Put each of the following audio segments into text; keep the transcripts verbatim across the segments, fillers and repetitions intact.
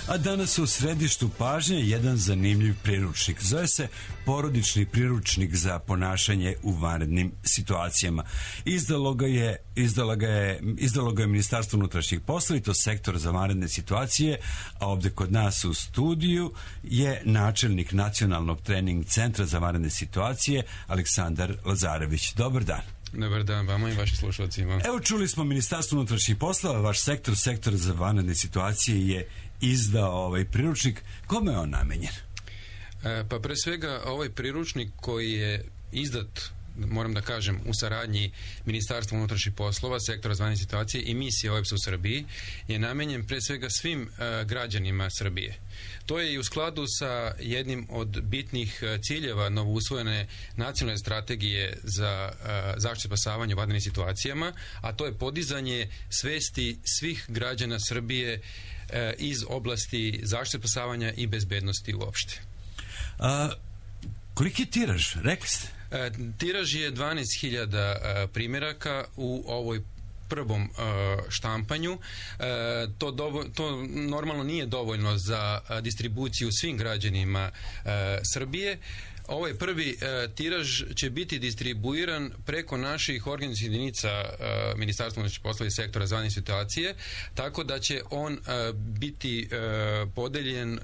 A danas u središtu pažnje jedan zanimljiv priručnik. Zove se Porodični priručnik za ponašanje u vanrednim situacijama. Izdalo ga je, izdalo ga je, izdalo ga je Ministarstvo unutrašnjih poslova i to sektor za vanredne situacije, a ovdje kod nas u studiju je načelnik Nacionalnog trening centra za vanredne situacije Aleksandar Lazarević. Dobar dan. Dobar dan vama i vašim slušalcima. Evo, čuli smo Ministarstvo unutrašnjih poslova, vaš sektor, sektor za vanredne situacije je izdao ovaj priručnik. Kome je on namenjen? E, pa pre svega ovaj priručnik koji je izdat, moram da kažem, u saradnji Ministarstva unutrašnjih poslova, sektora za vanredne situacije i misije O E B S-a u Srbiji, je namenjen pre svega svim e, građanima Srbije. To je i u skladu sa jednim od bitnih ciljeva novousvojene nacionalne strategije za uh, zaštitu i spasavanje u vanrednim situacijama, a to je podizanje svesti svih građana Srbije uh, iz oblasti zaštite i spasavanja i bezbednosti uopšte. A, koliki je tiraž? Rekli ste? Uh, tiraž je dvanaest hiljada uh, primjeraka u ovoj prvom uh, štampanju. Uh, to, dovo, to normalno nije dovoljno za uh, distribuciju svim građanima uh, Srbije. Ovaj prvi uh, tiraž će biti distribuiran preko naših organizacijskih jedinica uh, Ministarstva unutrašnjih poslova i sektora za vanredne situacije, tako da će on uh, biti uh, podeljen uh,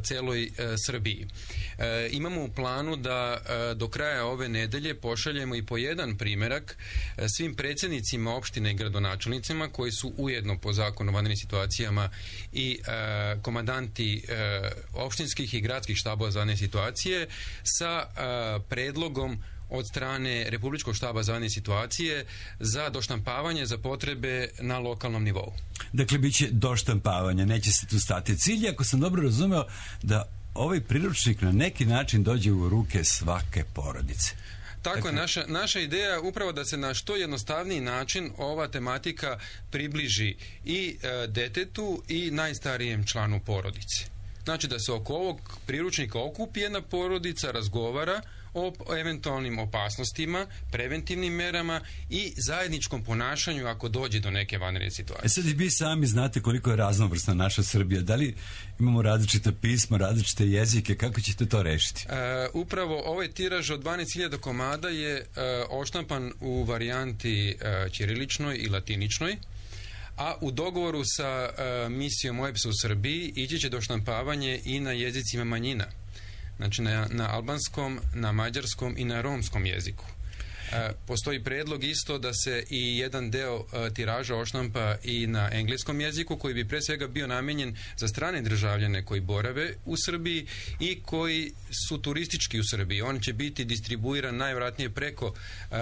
celoj uh, Srbiji. Uh, imamo u planu da uh, do kraja ove nedelje pošaljemo i po jedan primjerak uh, svim predsjednicima opštine i gradonačelnicima koji su ujedno po zakonu o vanrednim situacijama i uh, komandanti uh, opštinskih i gradskih štabova za vanredne situacije sa a, predlogom od strane Republičkog štaba za vanredne situacije za doštampavanje za potrebe na lokalnom nivou. Dakle, bit će doštampavanje, neće se tu stati. Cilj je, ako sam dobro razumeo, da ovaj priručnik na neki način dođe u ruke svake porodice. Tako dakle, je, naša, naša ideja je upravo da se na što jednostavniji način ova tematika približi i e, detetu i najstarijem članu porodice. Znači da se oko ovog priručnika okupi jedna porodica, razgovara o eventualnim opasnostima, preventivnim merama i zajedničkom ponašanju ako dođe do neke vanredne situacije. E sad i vi sami znate koliko je raznovrsna naša Srbija. Da li imamo različita pisma, različite jezike, kako ćete to rešiti? E, upravo ovaj tiraž od dvanaest hiljada komada je e, oštampan u varijanti e, ćiriličnoj i latiničnoj, a u dogovoru sa uh, misijom O E B S-a u Srbiji ići će do štampavanje i na jezicima manjina. Znači na, na albanskom, na mađarskom i na romskom jeziku. E, postoji predlog isto da se i jedan deo e, tiraža oštampa i na engleskom jeziku, koji bi pre svega bio namenjen za strane državljane koji borave u Srbiji i koji su turistički u Srbiji. On će biti distribuiran najvjerojatnije preko e,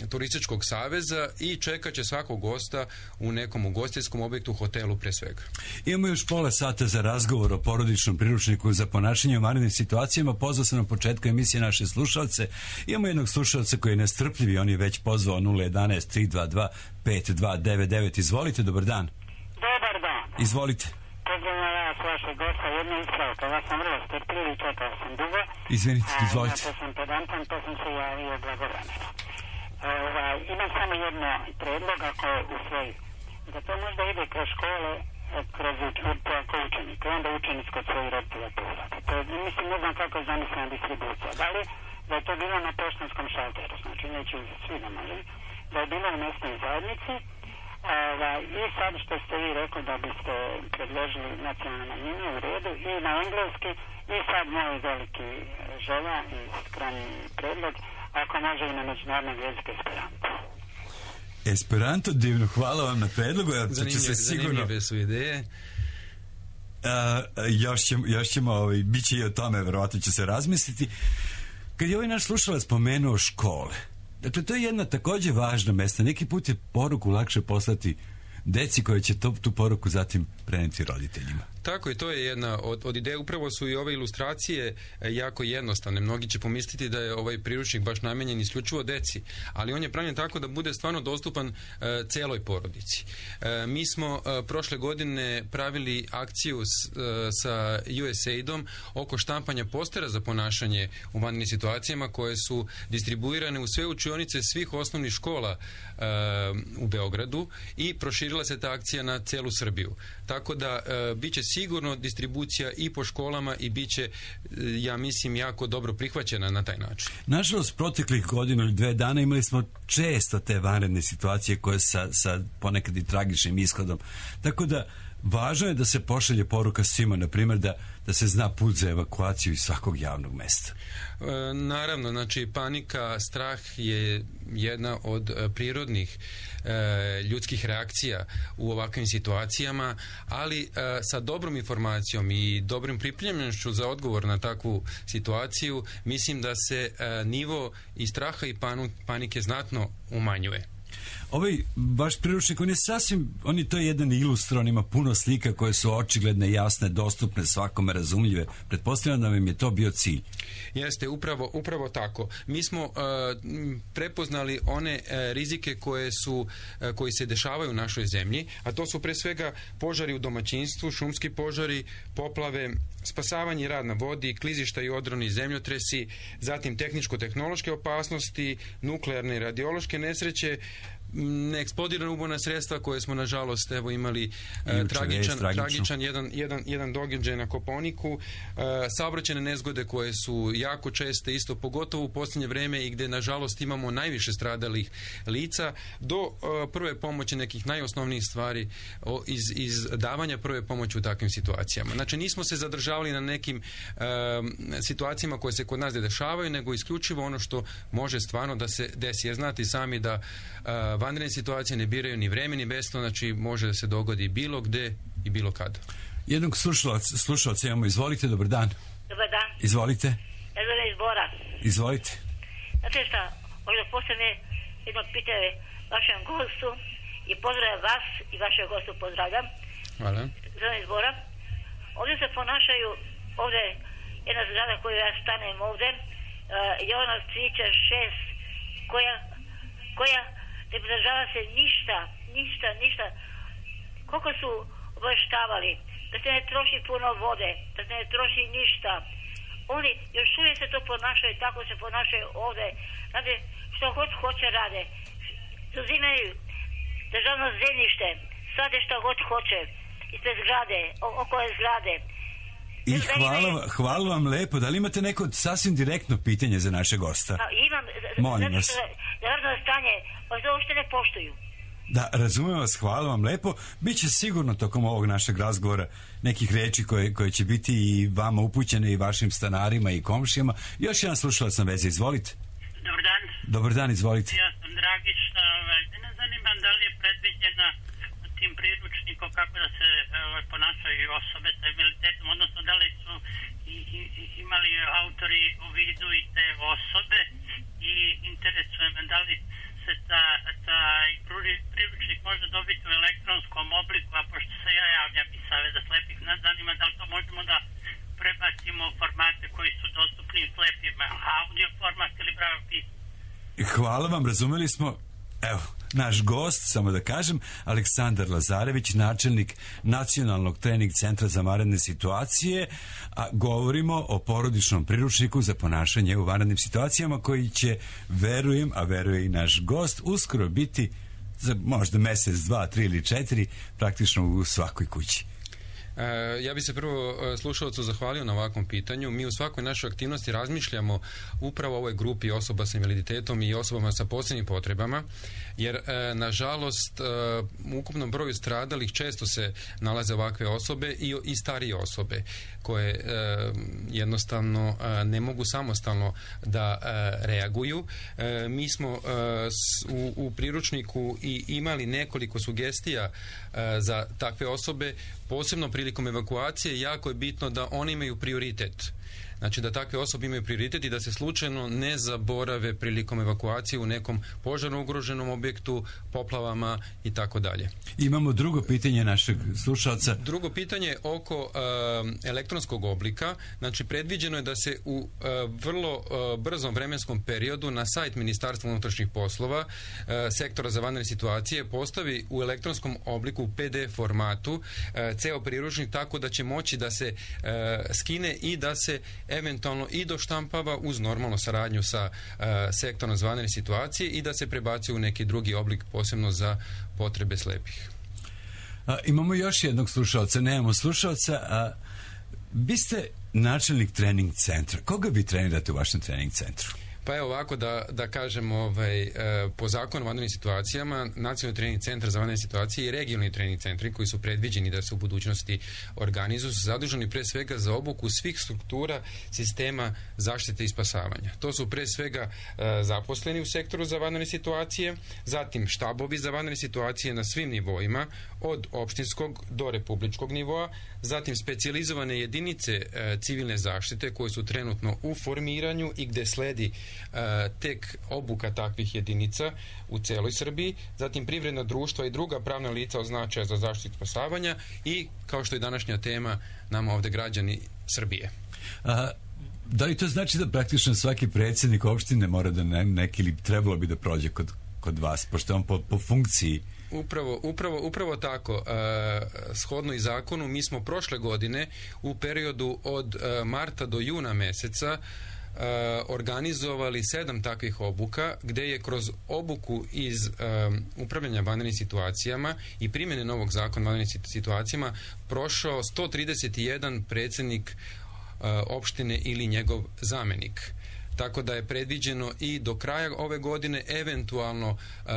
Turističkog saveza i čekat će svakog gosta u nekom ugostiteljskom objektu, hotelu pre svega. Imamo još pola sata za razgovor o porodičnom priručniku za ponašanje u vanrednim situacijama. Pozvao sam na početku emisije naše slušalce. Imamo jednog slušalca koji je nestrpljivi, on je već pozvao nula jedanaest tri dva dva pet dva devet devet. Izvolite, dobar dan. Dobar dan. Izvolite. Pozdravljam vas, vašeg gosta, jedna ispravka. Ja sam vrlo strpljivi, čekao sam dugo. Izvinite, izvolite. A, ja sam pedantan, to sam se javio blagovremeno. Ovaj, imam samo jedno predlog, ako je usvoji. Da to možda ide kroz škole, kroz ako učenik, onda učenic kod svojih roditelja povrata. To je, mislim, ne znam kako je zamislena distribucija. Da li da je to bilo na poštanskom šalteru, znači neću svi da možem, da je bilo u mesnoj zajednici, a, i sad što ste vi rekli da biste predložili nacionalne manjine u redu i na engleski, i sad moj veliki želja i skromni predlog, ako može i na međunarodnog jezika Esperanto. Esperanto, divno, hvala vam na predlogu. Zanimljive, zanimljive su ideje. Uh, još ćemo, još ćemo ovaj, bit će i o tome, verovatno će se razmisliti. Kad je ovaj naš slušalac spomenuo škole, dakle, to je jedna također važna mesta. Neki put je poruku lakše poslati deci koja će to, tu poruku zatim preneti roditeljima. Tako je, to je jedna od, od ideje. Upravo su i ove ilustracije jako jednostavne. Mnogi će pomisliti da je ovaj priručnik baš namenjen isključivo deci, ali on je pravljen tako da bude stvarno dostupan e, celoj porodici. E, mi smo e, prošle godine pravili akciju s, e, sa U S A I D-om oko štampanja postera za ponašanje u vanrednim situacijama, koje su distribuirane u sve učionice svih osnovnih škola e, u Beogradu, i proširila se ta akcija na celu Srbiju. Tako tako da e, bit će sigurno distribucija i po školama i bit će, e, ja mislim, jako dobro prihvaćena na taj način. Nažalost, proteklih godinu ili dve dana imali smo često te vanredne situacije koje sa, sa ponekad i tragičnim ishodom. Tako da važno je da se pošalje poruka svima, na primjer da, da se zna put za evakuaciju iz svakog javnog mesta. E, naravno, znači panika, strah je jedna od e, prirodnih e, ljudskih reakcija u ovakvim situacijama, ali e, sa dobrom informacijom i dobrim pripremljenošću za odgovor na takvu situaciju, mislim da se e, nivo i straha i panu, panike znatno umanjuje. Ovaj vaš priručnik, on je sasvim, on je to jedan ilustron, ima puno slika koje su očigledne, jasne, dostupne, svakome razumljive. Pretpostavljam da vam je to bio cilj. Jeste, upravo, upravo tako. Mi smo uh, prepoznali one uh, rizike koje su, uh, koji se dešavaju u našoj zemlji, a to su pre svega požari u domaćinstvu, šumski požari, poplave, spasavanje i rad na vodi, klizišta i odroni, zemljotresi, zatim tehničko-tehnološke opasnosti, nuklearne i radiološke nesreće, neeksplodirana ubojna sredstva koje smo nažalost evo imali e, tragičan, tragičan jedan, jedan, jedan događaj na Kopaoniku, e, saobraćajne nezgode koje su jako česte isto, pogotovo u posljednje vrijeme i gdje nažalost imamo najviše stradalih lica, do e, prve pomoći nekih najosnovnijih stvari o, iz, iz davanja prve pomoći u takvim situacijama. Znači nismo se zadržavali na nekim e, situacijama koje se kod nas dešavaju, nego isključivo ono što može stvarno da se desi. Jer znate sami da e, vanredne situacije ne biraju ni vreme ni mjesto, znači može da se dogodi bilo gde i bilo kad. Jednog slušalca, slušalca imamo, izvolite, dobar dan. Dobar dan. Izvolite. Ja zovem iz Bora. Izvolite. Znate šta, možda posljedne jedno pitanje vašem gostu i pozdravljam vas i vašeg gostu pozdravljam. Hvala. Zovem iz Bora. Ovdje se ponašaju, ovdje jedna zgrada koju ja stanem ovdje, uh, Jovana Cvića šest, koja, koja ne pridržava se ništa, ništa, ništa. Koliko su obavještavali, da se ne troši puno vode, da se ne troši ništa. Oni još uvijek se to ponašaju, tako se ponašaju ovdje. Znate, što god hoće rade. Zauzimaju državno zemljište, sade što god hoće, ispred zgrade, okolo zgrade. I hvala, hvala vam lepo. Da li imate neko sasvim direktno pitanje za naše gosta? Pa, imam. Molim vas. Da narodno stanje, pa to uopšte ne poštuju. Da, razumijem vas, hvala vam lepo. Biće sigurno tokom ovog našeg razgovora nekih reči koje, koje će biti i vama upućene i vašim stanarima i komšijama. Još jedan slušalac na vezi, izvolite. Dobar dan. Dobar dan, izvolite. Ja sam Dragiša, ne zanimam da li je predviđena tim priručnikom kako da se ovaj, ponašaju osobe sa invaliditetom, odnosno da li su i, i, imali autori u vidu i te osobe, i interesuje me da li se ta, taj priručnik može dobiti u elektronskom obliku, a pošto se ja javljam iz Saveza slepih, nas zanima da li to možemo da prebacimo u formate koji su dostupni slepima, audio format ili pravo pismo. Hvala vam, razumeli smo. Evo, naš gost, samo da kažem, Aleksandar Lazarević, načelnik Nacionalnog trening centra za vanredne situacije, a govorimo o porodičnom priručniku za ponašanje u vanrednim situacijama koji će, verujem, a veruje i naš gost, uskoro biti za možda mjesec, dva, tri ili četiri praktično u svakoj kući. Ja bi se prvo slušalcu zahvalio na ovakvom pitanju. Mi u svakoj našoj aktivnosti razmišljamo upravo o ovoj grupi osoba sa invaliditetom i osobama sa posebnim potrebama, jer nažalost u ukupnom broju stradalih često se nalaze ovakve osobe i, i starije osobe koje jednostavno ne mogu samostalno da reaguju. Mi smo u, u priručniku i imali nekoliko sugestija za takve osobe, posebno prilikom evakuacije. Jako je bitno da oni imaju prioritet. Znači da takve osobe imaju prioritet i da se slučajno ne zaborave prilikom evakuacije u nekom požarno ugroženom objektu, poplavama i tako dalje. Imamo drugo pitanje našeg slušalca. Drugo pitanje oko uh, elektronskog oblika. Znači predviđeno je da se u uh, vrlo uh, brzom vremenskom periodu na sajt Ministarstva unutrašnjih poslova uh, sektora za vanredne situacije postavi u elektronskom obliku u P D F formatu uh, ceo priručnik, tako da će moći da se uh, skine i da se eventualno i doštampava uz normalnu saradnju sa uh, sektorom za vanredne situacije i da se prebaci u neki drugi oblik posebno za potrebe slepih. A, imamo još jednog slušalca, nemamo slušalca, a vi ste načelnik trening centra. Koga vi trenirate u vašem trening centru? Pa evo ovako da, da kažem, ovaj, e, po zakonu o vanrednim situacijama, Nacionalni trening centar za vanredne situacije i regionalni trening centri koji su predviđeni da se u budućnosti organizuju su zaduženi pre svega za obuku svih struktura sistema zaštite i spasavanja. To su pre svega e, zaposleni u sektoru za vanredne situacije, zatim štabovi za vanredne situacije na svim nivoima, od opštinskog do republičkog nivoa, zatim specijalizovane jedinice e, civilne zaštite koje su trenutno u formiranju i gde sledi e, tek obuka takvih jedinica u celoj Srbiji, zatim privredna društva i druga pravna lica od značaja za zaštitu spasavanja i, kao što je današnja tema, nama ovde građani Srbije. A, da li to znači da praktično svaki predsjednik opštine mora da ne, neki ili trebalo bi da prođe kod, kod vas, pošto on po, po funkciji? Upravo, upravo, upravo tako. E, shodno i zakonu, mi smo prošle godine u periodu od e, marta do juna meseca e, organizovali sedam takvih obuka, gde je kroz obuku iz e, upravljanja vanrednim situacijama i primjene novog zakona o vanrednim situacijama prošao sto trideset jedan predsjednik e, opštine ili njegov zamenik. Tako da je predviđeno i do kraja ove godine, eventualno e,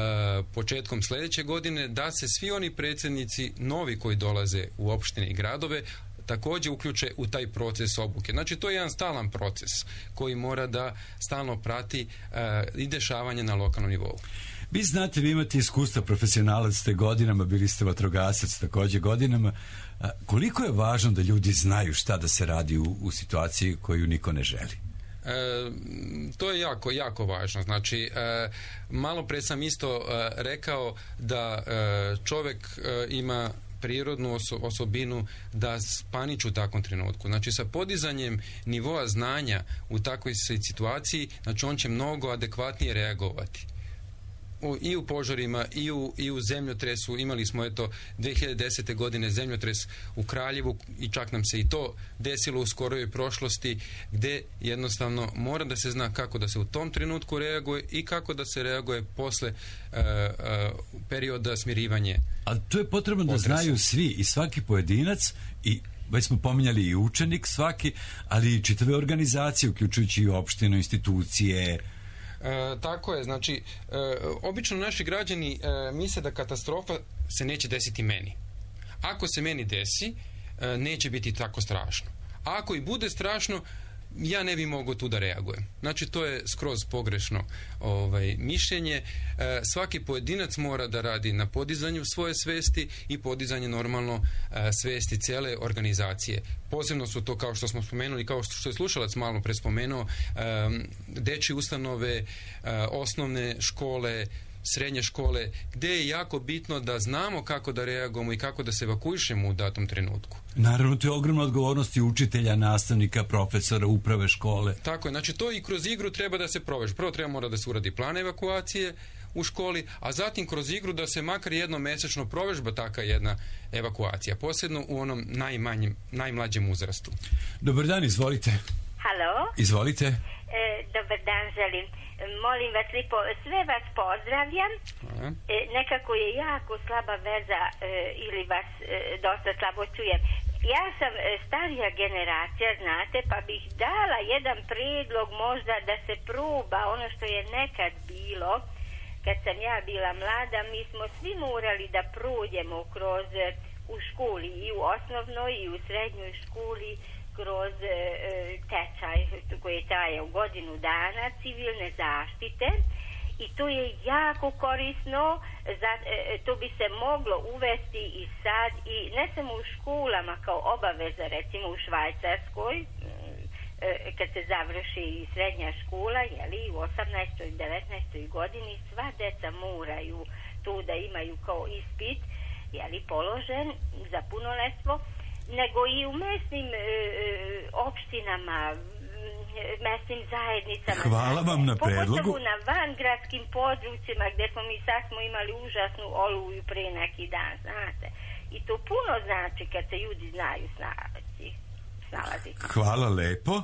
početkom sljedeće godine, da se svi oni predsjednici novi koji dolaze u opštine i gradove također uključe u taj proces obuke. Znači, to je jedan stalan proces koji mora da stalno prati e, i dešavanje na lokalnom nivou. Vi znate, vi imate iskustva, profesionalac ste godinama, bili ste vatrogasac također godinama. A, koliko je važno da ljudi znaju šta da se radi u, u situaciji koju niko ne želi? E, to je jako, jako važno. Znači, e, malo pre sam isto e, rekao da e, čovjek e, ima prirodnu oso, osobinu da paniči u takvom trenutku. Znači, sa podizanjem nivoa znanja u takvoj situaciji, znači on će mnogo adekvatnije reagovati. U, i u požarima i u, i u zemljotresu. Imali smo eto dve hiljade desete godine zemljotres u Kraljevu i čak nam se i to desilo u skoroj prošlosti, gde jednostavno mora da se zna kako da se u tom trenutku reaguje i kako da se reaguje posle uh, uh, perioda smirivanje. A to je potrebno da znaju svi i svaki pojedinac i već smo pominjali i učenik svaki, ali i čitave organizacije, uključujući i opštinu, institucije. E, tako je, znači e, obično naši građani e, misle da katastrofa se neće desiti meni. Ako se meni desi, e, neće biti tako strašno. A ako i bude strašno, ja ne bi mogao tu da reagujem. Znači, to je skroz pogrešno ovaj, mišljenje. E, svaki pojedinac mora da radi na podizanju svoje svesti i podizanje normalno e, svesti cele organizacije. Posebno su to, kao što smo spomenuli, kao što je slušalac malo pre spomenuo, e, dečje ustanove, e, osnovne škole, srednje škole, gde je jako bitno da znamo kako da reagujemo i kako da se evakuišemo u datom trenutku. Naravno, to je ogromna odgovornost i učitelja, nastavnika, profesora, uprave škole. Tako je, znači to i kroz igru treba da se proveže. Prvo treba mora da se uradi plan evakuacije u školi, a zatim kroz igru da se makar jednom mesečno provežba taka jedna evakuacija, posebno u onom najmanjem, najmlađem uzrastu. Dobar dan, izvolite. Halo? Izvolite. E, dobar dan, želim. Molim vas lipo, sve vas pozdravljam. E, nekako je jako slaba veza e, ili vas e, dosta slabo čujem. Ja sam e, starija generacija, znate, pa bih dala jedan prijedlog možda da se proba ono što je nekad bilo. Kad sam ja bila mlada, mi smo svi morali da prođemo kroz u školi, i u osnovnoj i u srednjoj školi, kroz e, tečaj koji traje u godinu dana civilne zaštite, i to je jako korisno. Za, e, to bi se moglo uvesti i sad, i ne samo u školama kao obaveza, recimo u Švajcarskoj e, kad se završi srednja škola, jeli, u osamnaestoj i devetnaestoj godini sva deca moraju to da imaju kao ispit, jeli, položen za punoletstvo, nego i u mesnim e, opštinama, mesnim zajednicama. Hvala vam na predlogu. Pogotovo na vangradskim područjima gdje smo mi sad smo imali užasnu oluju pre neki dan, znate. I to puno znači kad se ljudi znaju snalaziti. Hvala lepo.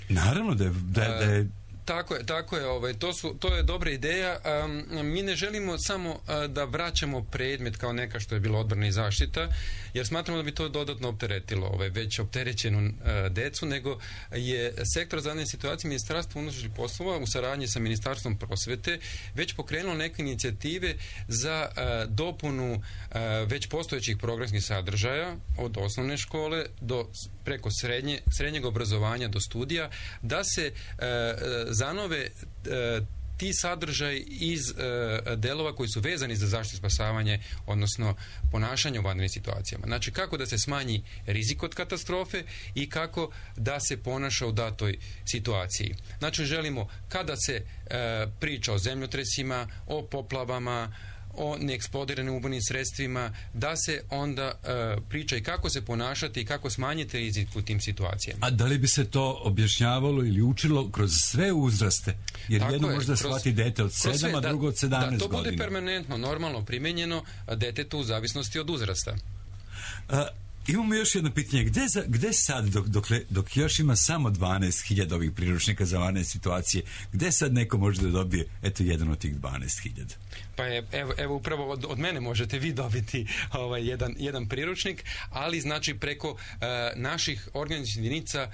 Naravno da je, da, da je Tako je, tako je, ovaj, to, su, to je dobra ideja. Um, mi ne želimo samo uh, da vraćamo predmet kao neka što je bilo odbrana i zaštita, jer smatramo da bi to dodatno opteretilo ovaj, već opterećenu uh, decu, nego je sektor za vanredne situacije Ministarstva unutrašnjih poslova u saradnji sa Ministarstvom prosvete već pokrenulo neke inicijative za uh, dopunu uh, već postojećih programskih sadržaja od osnovne škole do preko srednje, srednjeg obrazovanja do studija, da se uh, zanove uh, ti sadržaj iz uh, delova koji su vezani za zaštitu i spasavanje, odnosno ponašanje u vanrednim situacijama. Znači, kako da se smanji rizik od katastrofe i kako da se ponaša u datoj situaciji. Znači, želimo kada se uh, priča o zemljotresima, o poplavama, o neeksplodiranim ubojnim sredstvima, da se onda uh, priča i kako se ponašati i kako smanjiti rizik u tim situacijama. A da li bi se to objašnjavalo ili učilo kroz sve uzraste? Jer Tako jedno je, možda kroz, shvati dete od sedam, a drugo od sedamnaest godina. Da, to bude permanentno, normalno primenjeno detetu u zavisnosti od uzrasta. A, imamo još jedno pitanje. Gde, za, gde sad, dok, dokle, dok još ima samo dvanaest hiljada ovih priručnika za vanredne situacije, gde sad neko može da dobije, eto, jedan od tih dvanaest hiljada? Pa je, evo, evo upravo od, od mene možete vi dobiti ovaj, jedan, jedan priručnik, ali znači preko uh, naših organizacijskih jedinica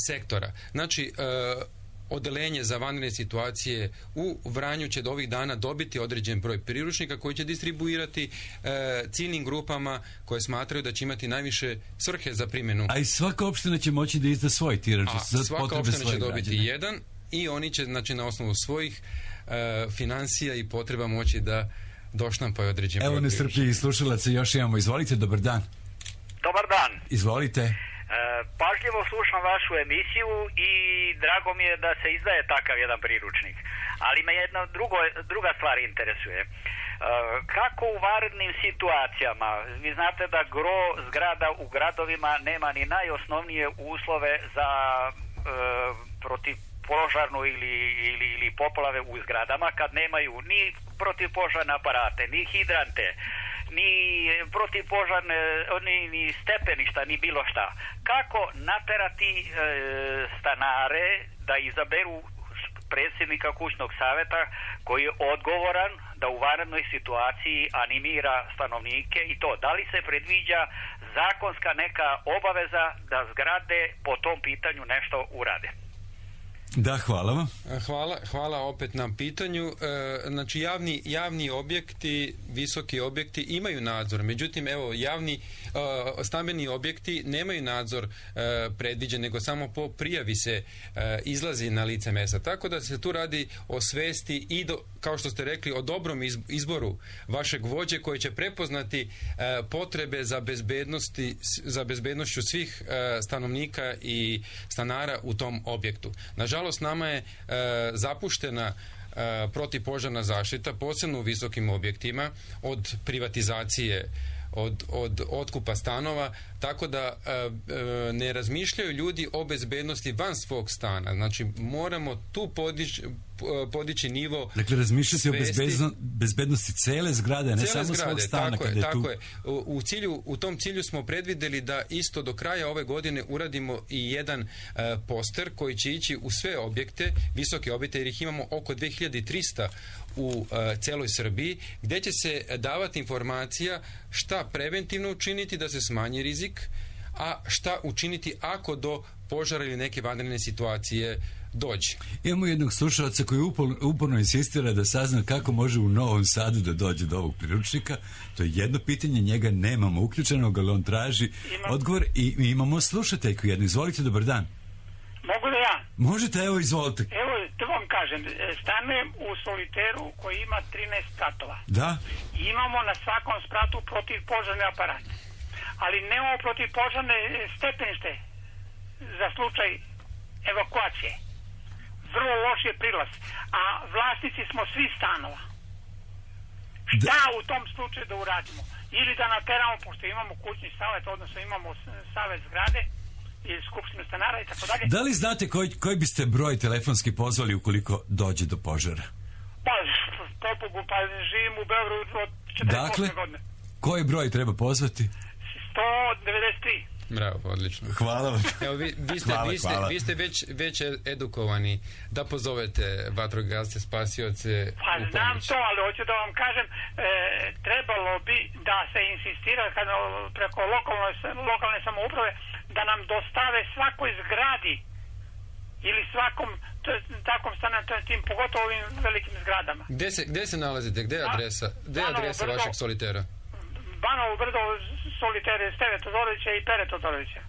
sektora. Znači, uh, odelenje za vanredne situacije u Vranju će do ovih dana dobiti određen broj priručnika koji će distribuirati e, ciljnim grupama koje smatraju da će imati najviše svrhe za primjenu. A i svaka opština će moći da izda svoj tiraž za svaka potrebe opština svoje će dobiti građane. jedan i oni će, znači, na osnovu svojih e, financija i potreba moći da doštampaju određen broj. Evo nestrpljivi slušalaca, još imamo. Izvolite, dobar dan. Dobar dan. Izvolite. E, pažljivo slušam vašu emisiju i drago mi je da se izdaje takav jedan priručnik. Ali me jedna drugo, druga stvar interesuje. E, kako u vanrednim situacijama, vi znate da gro zgrada u gradovima nema ni najosnovnije uslove za e, protivpožarnu ili, ili, ili poplave u zgradama, kad nemaju ni protivpožarne aparate, ni hidrante, ni protivpožarne, ni, ni stepeništa, ni bilo šta. Kako naterati e, stanare da izaberu predsjednika kućnog savjeta koji je odgovoran da u vanrednoj situaciji animira stanovnike i to? Da li se predviđa zakonska neka obaveza da zgrade po tom pitanju nešto urade? Da, hvala vam. Hvala, hvala opet na pitanju. E, znači, javni, javni objekti, visoki objekti imaju nadzor. Međutim, evo, javni e, stambeni objekti nemaju nadzor e, predviđen, nego samo po prijavi se e, izlazi na lice mesta. Tako da se tu radi o svesti i, do, kao što ste rekli, o dobrom izboru vašeg vođe koji će prepoznati e, potrebe za bezbednosti, za bezbednošću svih e, stanovnika i stanara u tom objektu. Nažalost, nama je e, zapuštena e, protivpožarna zaštita, posebno u visokim objektima, od privatizacije, od, od otkupa stanova, tako da e, e, ne razmišljaju ljudi o bezbednosti van svog stana. Znači, moramo tu podići, podići nivo. Dakle, razmišljati o bezbedno, bezbednosti cele zgrade, ne cele samo zgrade, svog stana. tako kada je, je tu... tako je. U, u, cilju, u tom cilju smo predvideli da isto do kraja ove godine uradimo i jedan uh, poster koji će ići u sve objekte, visoke objekte, jer ih imamo oko dve hiljade trista u uh, celoj Srbiji, gdje će se davati informacija šta preventivno učiniti da se smanji rizik, a šta učiniti ako do požara ili neke vanredne situacije dođe. Imamo jednog slušalca koji uporno, uporno insistira da sazna kako može u Novom Sadu da dođe do ovog priručnika. To je jedno pitanje, njega nemamo uključenog, ali on traži Imam. odgovor i mi imamo slušateljku jednu. Izvolite, dobar dan. Mogu da ja? Možete, evo, izvolite. Evo, to vam kažem, stanujem u soliteru koji ima trinaest spratova. Da? Imamo na svakom spratu protivpožarne aparate, ali nemamo protivpožarne stepenište za slučaj evakuacije. Vrlo loš je prilaz, a vlasnici smo svi stanova. Šta da. u tom slučaju da uradimo? Ili da nateramo, pošto imamo kućni savjet, odnosno imamo savjet zgrade ili skupštinu stanara i tako dalje. Da li znate koji, koji biste broj telefonski pozvali ukoliko dođe do požara? Pa, pobogu, pa živim u Beogradu od četrdeset osme dakle, godine. Koji broj treba pozvati? sto devedeset tri. Bravo, odlično. Hvala vam. Evo, vi, vi, ste, hvala, vi, ste, hvala. vi ste već, već edukovani da pozovete vatrogasce, spasioce Pa u znam pomoć. to, ali hoću da vam kažem, e, trebalo bi da se insistira kad, preko lokalne, lokalne samouprave da nam dostave svakoj zgradi ili svakom takvom stanu, tim, pogotovo ovim velikim zgradama. Gde se, gde se nalazite? Gde je adresa, gde je adresa Brdo, vašeg solitera? Banovo Brdo, solitere Steve Todorovića i Pere Todorovića.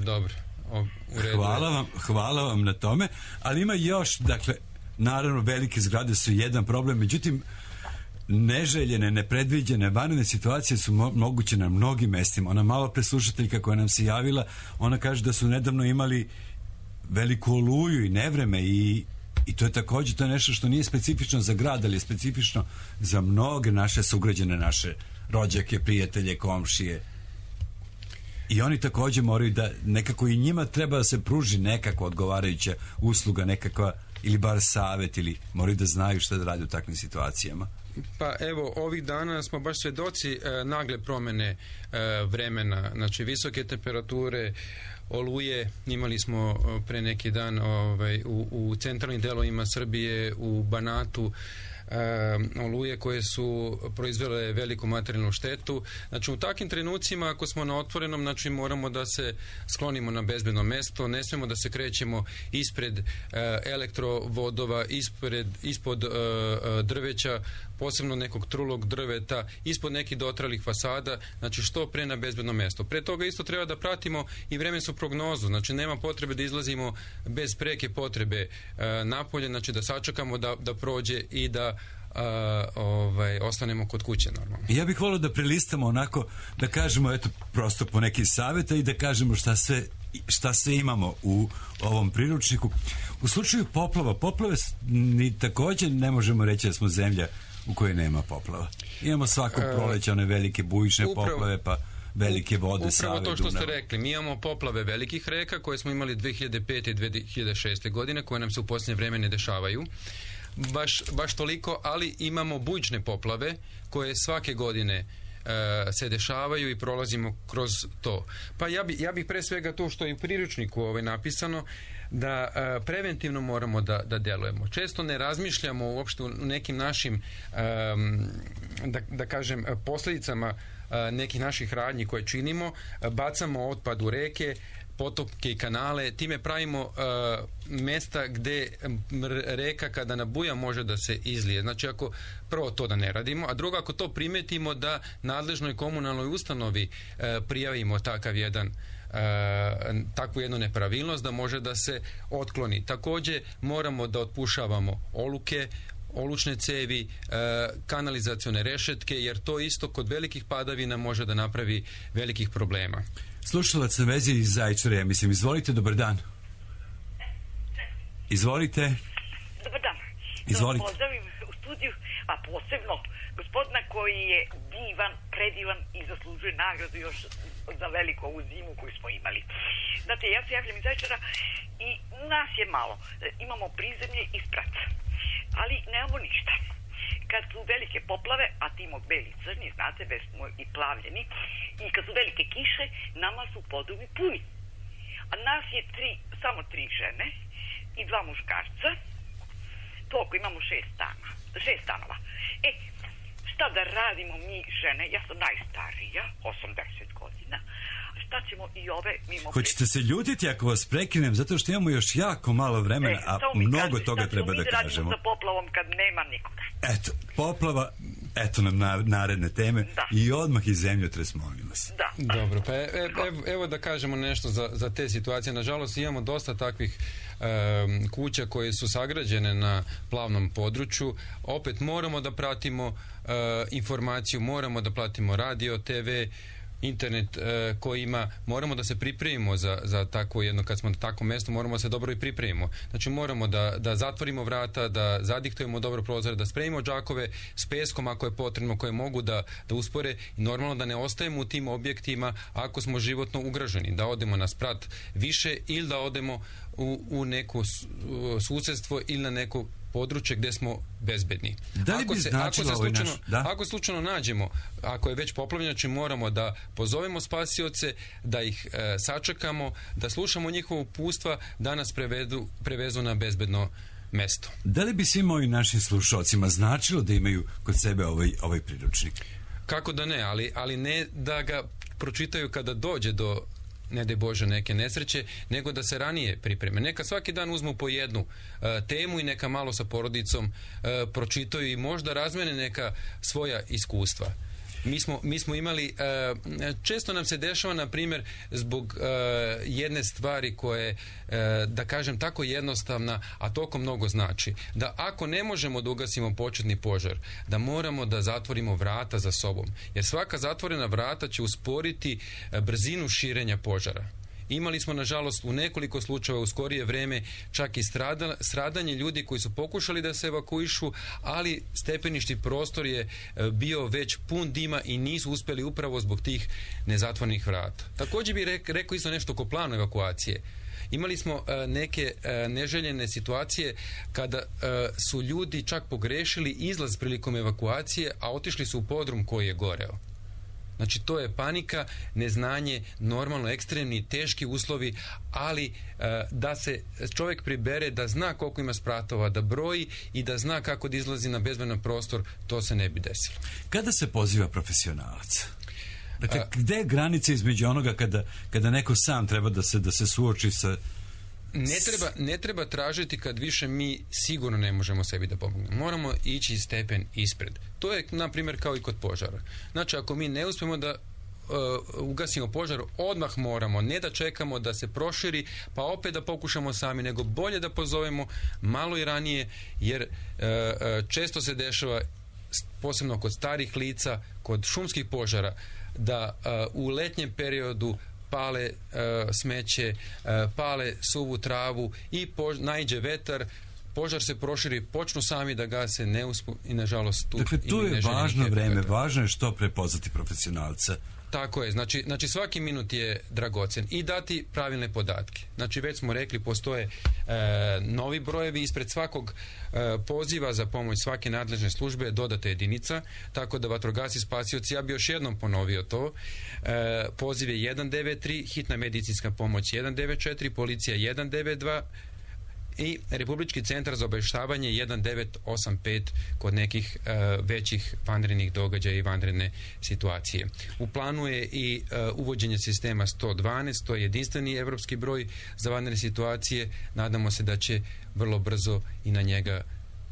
Dobro, o, u redu. Hvala vam, hvala vam na tome, ali ima još, dakle, naravno velike zgrade su jedan problem, međutim neželjene, nepredviđene, vanredne situacije su mo- moguće na mnogim mestima. Ona malo preslušateljka koja nam se javila, ona kaže da su nedavno imali veliku oluju i nevreme i, i to je također, to je nešto što nije specifično za grad, ali je specifično za mnoge naše sugrađane, naše rođake, prijatelje, komšije. I oni također moraju da nekako i njima treba da se pruži nekakva odgovarajuća usluga, nekakva ili bar savjet, ili moraju da znaju šta da rade u takvim situacijama. Pa evo, ovih dana smo baš svedoci e, nagle promene e, vremena, znači visoke temperature, oluje, imali smo e, pre neki dan ovaj, u, u centralnim delovima Srbije, u Banatu, e, oluje koje su proizvele veliku materijalnu štetu. Znači u takvim trenucima ako smo na otvorenom, znači moramo da se sklonimo na bezbedno mesto, ne smemo da se krećemo ispred e, elektrovodova, ispred, ispod e, drveća, posebno nekog trulog drveta, ispod nekih dotralih fasada, znači što pre na bezbedno mesto. Pre toga isto treba da pratimo i vremensku prognozu, znači nema potrebe da izlazimo bez preke potrebe e, napolje, znači da sačekamo da, da prođe i da Uh, ovaj, ostanemo kod kuće normalno. Ja bih volio da prelistamo onako, da kažemo eto prosto po neki savjeta i da kažemo šta sve, šta sve imamo u ovom priručniku. U slučaju poplava, poplave ni također ne možemo reći da smo zemlja u kojoj nema poplava. Imamo svakog proleća one velike bujične upravo, poplave, pa velike vode, Save, Upravo to što Dunav. ste rekli, mi imamo poplave velikih reka koje smo imali dve hiljade pete i dve hiljade šeste godine, koje nam se u posljednje vreme ne dešavaju. Baš, baš toliko, ali imamo bujične poplave koje svake godine e, se dešavaju i prolazimo kroz to. Pa ja, bi, ja bih pre svega to što je u priručniku ovaj, napisano, da e, preventivno moramo da, da delujemo. Često ne razmišljamo uopšte u nekim našim e, da, da kažem posljedicama e, nekih naših radnji koje činimo, bacamo otpad u reke, potopke i kanale, time pravimo uh, mesta gde reka kada nabuja može da se izlije. Znači ako prvo to da ne radimo, a drugo ako to primetimo da nadležnoj komunalnoj ustanovi uh, prijavimo takav jedan Uh, takvu jednu nepravilnost da može da se otkloni. Također moramo da otpušavamo oluke, olučne cevi, uh, kanalizacione rešetke, jer to isto kod velikih padavina može da napravi velikih problema. Slušalac na vezi iz Zaječara, mislim, izvolite, dobar dan. Izvolite. Dobar dan. Izvolite. Da pozdravim u studiju, a posebno gospodina koji je divan, predivan i zaslužuje nagradu još za veliku ovu zimu koju smo imali. Znate, ja se javljam iz Zaječara i nas je malo. Imamo prizemlje i sprat, ali nemamo ništa. Kad su velike poplave, a timo beli crni, znate, već smo i plavljeni, i kad su velike kiše, nama su podovi puni. A nas je tri, samo tri žene i dva muškarca, toliko imamo šest stana, šest stanova. E, šta da radimo mi žene, ja sam najstarija, osamdeset godina, šta ćemo i ove mimo... Hoćete se ljutiti ako vas prekinem, zato što imamo još jako malo vremena, a mnogo kažete, toga treba da kažemo. Šta ćemo mi da radimo sa poplavom kad nema nikoga? Eto, poplava, eto nam na, naredne teme, da. I odmah i zemljotres, molim vas. Da. Dobro, pa evo, evo da kažemo nešto za, za te situacije. Nažalost, imamo dosta takvih um, kuća koje su sagrađene na plavnom području. Opet moramo da pratimo uh, informaciju, moramo da pratimo radio, te ve, internet e, koji ima, moramo da se pripremimo za, za tako jedno, kad smo na takvom mjestu, moramo se dobro i pripremimo. Znači moramo da, da zatvorimo vrata, da zadiktujemo dobro prozore, da spremimo džakove s peskom ako je potrebno, koje mogu da, da uspore i normalno da ne ostajemo u tim objektima ako smo životno ugroženi, da odemo na sprat više ili da odemo u, u neko susjedstvo ili na neko područje gdje smo bezbedni. Da li ako bi se, značilo ako se ovaj slučajno, naš... Da? ako slučajno nađemo, ako je već poplavljeno, znači moramo da pozovemo spasioce, da ih e, sačekamo, da slušamo njihova upustva, da nas prevedu, prevezu na bezbedno mesto. Da li bi svim ovim našim slušalcima značilo da imaju kod sebe ovaj, ovaj priručnik? Kako da ne, ali, ali ne da ga pročitaju kada dođe do, ne daj Bože, neke nesreće, nego da se ranije pripreme. Neka svaki dan uzmu po jednu uh, temu i neka malo sa porodicom uh, pročitaju i možda razmene neka svoja iskustva. Mi smo, mi smo imali, uh, često nam se dešava, na primjer, zbog uh, jedne stvari koje, uh, da kažem, tako jednostavna, a toliko mnogo znači, da ako ne možemo da ugasimo početni požar, da moramo da zatvorimo vrata za sobom, jer svaka zatvorena vrata će usporiti uh, brzinu širenja požara. Imali smo, nažalost, u nekoliko slučajeva u skorije vreme čak i strada, stradanje ljudi koji su pokušali da se evakuišu, ali stepeništi prostor je bio već pun dima i nisu uspjeli upravo zbog tih nezatvornih vrata. Također bih rek, rekao isto nešto oko planu evakuacije. Imali smo uh, neke uh, neželjene situacije kada uh, su ljudi čak pogrešili izlaz prilikom evakuacije, a otišli su u podrum koji je goreo. Znači, to je panika, neznanje, normalno ekstremni, teški uslovi, ali e, da se čovjek pribere, da zna koliko ima spratova, da broji i da zna kako da izlazi na bezbedan prostor, to se ne bi desilo. Kada se poziva profesionalac? Dakle, A, gde je granica između onoga kada, kada neko sam treba da se, da se suoči sa... Ne treba, ne treba tražiti kad više mi sigurno ne možemo sebi da pomognemo. Moramo ići stepen ispred. To je, na primjer, kao i kod požara. Znači, ako mi ne uspijemo da uh, ugasimo požar, odmah moramo, ne da čekamo da se proširi, pa opet da pokušamo sami, nego bolje da pozovemo malo i ranije, jer uh, uh, često se dešava, posebno kod starih lica, kod šumskih požara, da uh, u letnjem periodu pale uh, smeće, uh, pale suvu travu i pož- naiđe vetar, požar se proširi, počnu sami da gase, ne uspu i nažalost tu... Dakle, tu je važno vreme, važno je što prepoznati profesionalca. Tako je, znači, znači svaki minut je dragocen i dati pravilne podatke. Znači, već smo rekli, postoje e, novi brojevi, ispred svakog e, poziva za pomoć svake nadležne službe dodata jedinica, tako da vatrogasci spasioci, ja bi još jednom ponovio to, e, poziv je jedan devet tri, hitna medicinska pomoć jedan devet četiri, policija jedan devet dva i Republički centar za obavještavanje jedan devet osam pet kod nekih uh, većih vanrednih događaja i vanredne situacije. U planu je i uh, uvođenje sistema sto dvanaest, to je jedinstveni evropski broj za vanredne situacije. Nadamo se da će vrlo brzo i na njega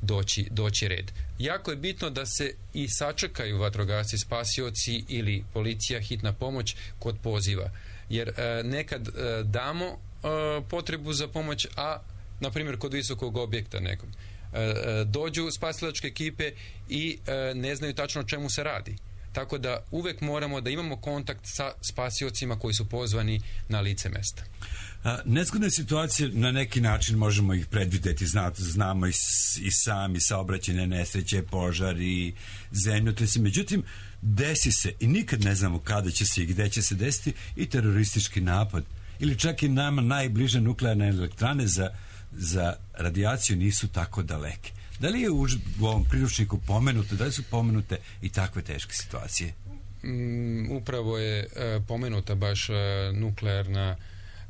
doći, doći red. Jako je bitno da se i sačekaju vatrogasci, spasioci ili policija, hitna pomoć kod poziva. Jer uh, nekad uh, damo uh, potrebu za pomoć, a na primjer kod visokog objekta nekom, e, dođu spasilačke ekipe i e, ne znaju tačno o čemu se radi. Tako da uvek moramo da imamo kontakt sa spasiocima koji su pozvani na lice mesta. A, nezgodne situacije na neki način možemo ih predvideti, Zna, znamo i, i sami saobraćajne nesreće, požar i zemljotresi. Međutim, desi se i nikad ne znamo kada će se i gde će se desiti i teroristički napad ili čak i nama najbliže nuklearne elektrane za za radijaciju nisu tako daleke. Da li je u, u ovom priručniku pomenuto, da li su pomenute i takve teške situacije? Mm, upravo je e, pomenuta baš e, nuklearna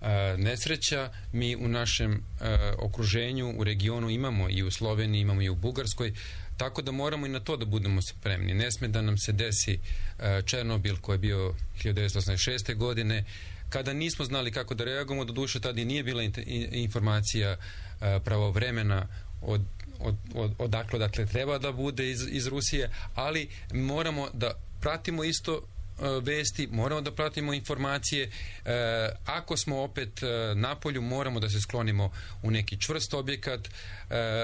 e, nesreća. Mi u našem e, okruženju, u regionu imamo i u Sloveniji, imamo i u Bugarskoj, tako da moramo i na to da budemo spremni. Ne sme da nam se desi e, Černobil koji je bio hiljadu devetsto osamdeset šeste. godine, kada nismo znali kako da reagujemo, doduše tada i nije bila informacija pravovremena od, od, od, odakle dakle treba da bude iz, iz Rusije, ali moramo da pratimo isto vesti, moramo da pratimo informacije. E, ako smo opet e, na polju, moramo da se sklonimo u neki čvrst objekat. E,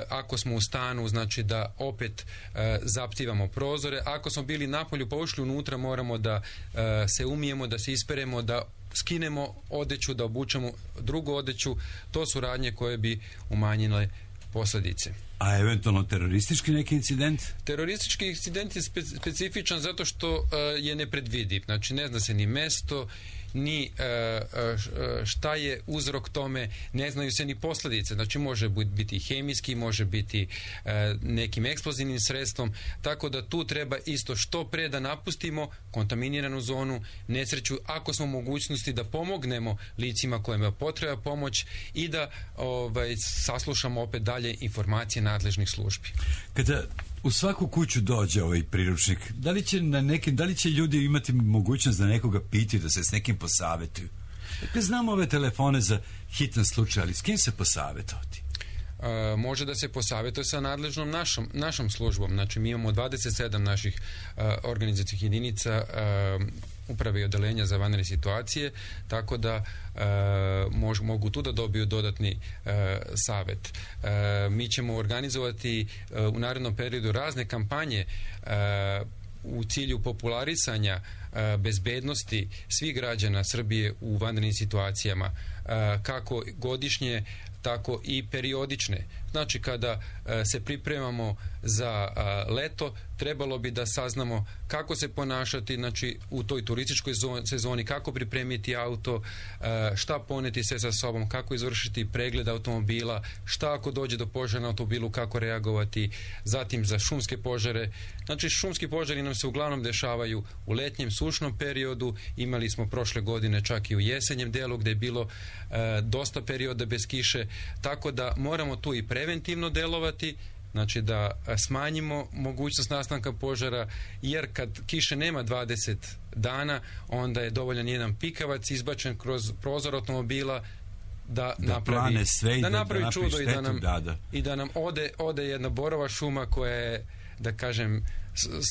ako smo u stanu, znači da opet e, zaptivamo prozore. Ako smo bili na polju pa ušli unutra, moramo da e, se umijemo, da se isperemo, da skinemo odeću, da obučemo drugu odeću. To su radnje koje bi umanjile posljedice. A eventualno teroristički neki incident? Teroristički incident je spe, specifičan zato što uh, je nepredvidiv. Znači ne zna se ni mesto, ni uh, šta je uzrok tome, ne znaju se ni posljedice. Znači može biti hemijski, može biti uh, nekim eksplozivnim sredstvom, tako da tu treba isto što pre da napustimo kontaminiranu zonu, nesreću, ako smo u mogućnosti da pomognemo licima kojima potreba pomoć i da ovaj, saslušamo opet dalje informacije nadležnih službi. Kada u svaku kuću dođe ovaj priručnik, da li će na nekim, da li će ljudi imati mogućnost da nekoga pitaju, da se s nekim posavetuju? Dakle, znamo ove telefone za hitan slučaj, ali s kim se posavetovati? Uh, može da se posavjetuje sa nadležnom našom, našom službom. Znači mi imamo dvadeset sedam naših uh, organizacijskih jedinica uh, uprave i odelenja za vanredne situacije, tako da uh, mož, mogu tu da dobiju dodatni uh, savjet. Uh, mi ćemo organizovati uh, u narednom periodu razne kampanje uh, u cilju popularisanja uh, bezbednosti svih građana Srbije u vanrednim situacijama, uh, kako godišnje, tako i periodične. Znači kada uh, se pripremamo za uh, leto, trebalo bi da saznamo kako se ponašati, znači u toj turističkoj sezoni, kako pripremiti auto, uh, šta poneti sve sa sobom, kako izvršiti pregled automobila, šta ako dođe do požara na automobilu, kako reagovati, zatim za šumske požare. Znači šumski požari nam se uglavnom dešavaju u letnjem sušnom periodu, imali smo prošle godine čak i u jesenjem delu gdje je bilo uh, dosta perioda bez kiše, tako da moramo tu i preventivno delovati, znači da smanjimo mogućnost nastanka požara, jer kad kiše nema dvadeset dana, onda je dovoljan jedan pikavac izbačen kroz prozor automobila da, da napravi, sve da da, napravi da čudo štetu, i da nam, da, da. i da nam ode, ode jedna borova šuma koja je, da kažem,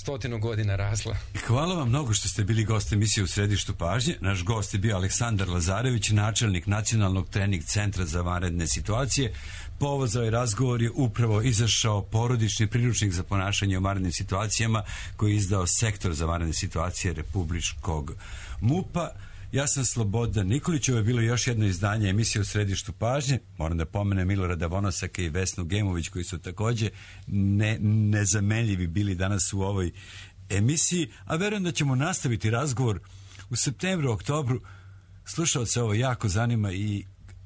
stotinu godina rasla. Hvala vam mnogo što ste bili gost emisije U središtu pažnje. Naš gost je bio Aleksandar Lazarević, načelnik Nacionalnog trening centra za vanredne situacije. Povod za ovaj razgovor je upravo izašao porodični priručnik za ponašanje u vanrednim situacijama koji je izdao Sektor za vanredne situacije Republičkog MUP-a. Ja sam Slobodan Nikolić, ovo je bilo još jedno izdanje emisije U središtu pažnje. Moram da pomenem Milorada Vonosaka i Vesnu Gemović koji su također ne, nezamenljivi bili danas u ovoj emisiji, a verujem da ćemo nastaviti razgovor u septembru, oktobru. Slušalce ovo jako zanima i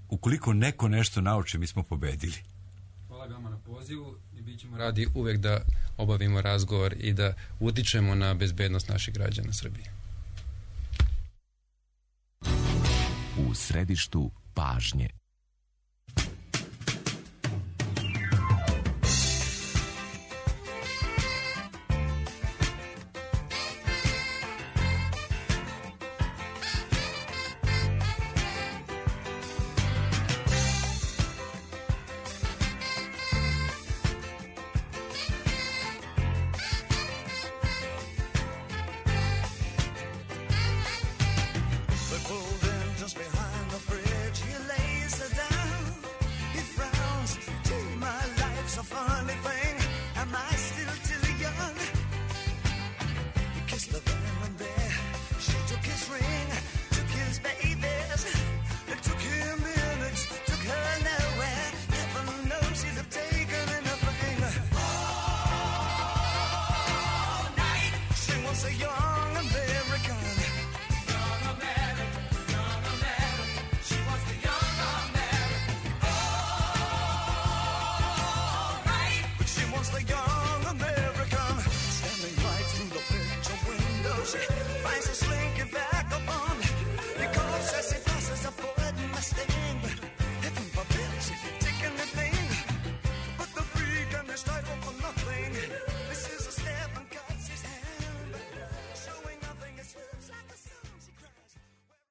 ukoliko neko nešto nauči, mi smo pobedili. Hvala vama na pozivu i bit ćemo radi uvek da obavimo razgovor i da utičemo na bezbednost naših građana Srbije. U središtu pažnje.